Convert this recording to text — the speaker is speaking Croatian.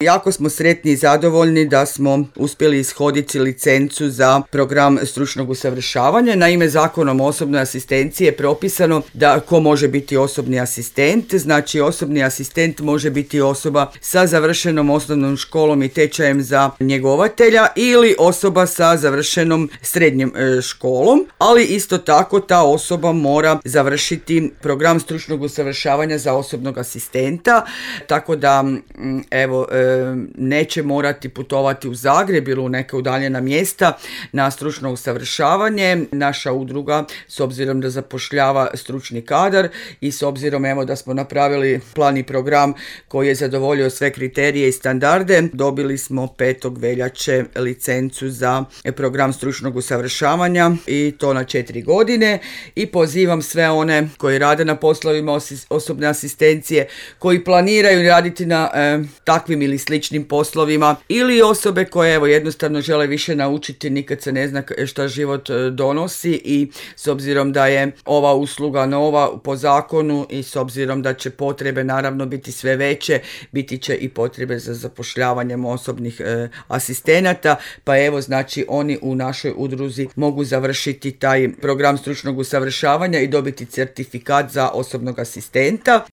Jako smo sretni i zadovoljni da smo uspjeli ishoditi licencu za program stručnog usavršavanja. Naime, Zakonom o osobnoj asistenciji je propisano da ko može biti osobni asistent. Znači, osobni asistent može biti osoba sa završenom osnovnom školom i tečajem za njegovatelja ili osoba sa završenom srednjom školom, ali isto tako ta osoba mora završiti program stručnog usavršavanja za osobnog asistenta, tako da neće morati putovati u Zagreb ili u neka udaljena mjesta na stručno usavršavanje. Naša udruga, s obzirom da zapošljava stručni kadar i s obzirom da smo napravili plan i program koji je zadovoljio sve kriterije i standarde, dobili smo 5. veljače licencu za program stručnog usavršavanja i to na 4 godine i pozivam sve one koji rade na poslovima osobne asistencije, koji planiraju raditi na takvim ili sličnim poslovima ili osobe koje jednostavno žele više naučiti, nikad se ne zna šta život donosi i s obzirom da je ova usluga nova po zakonu i s obzirom da će potrebe naravno biti sve veće, biti će i potrebe za zapošljavanjem osobnih asistenata, pa znači oni u našoj udruzi mogu završiti taj program stručnog usavršavanja i dobiti certifikat za osobnog asistenta.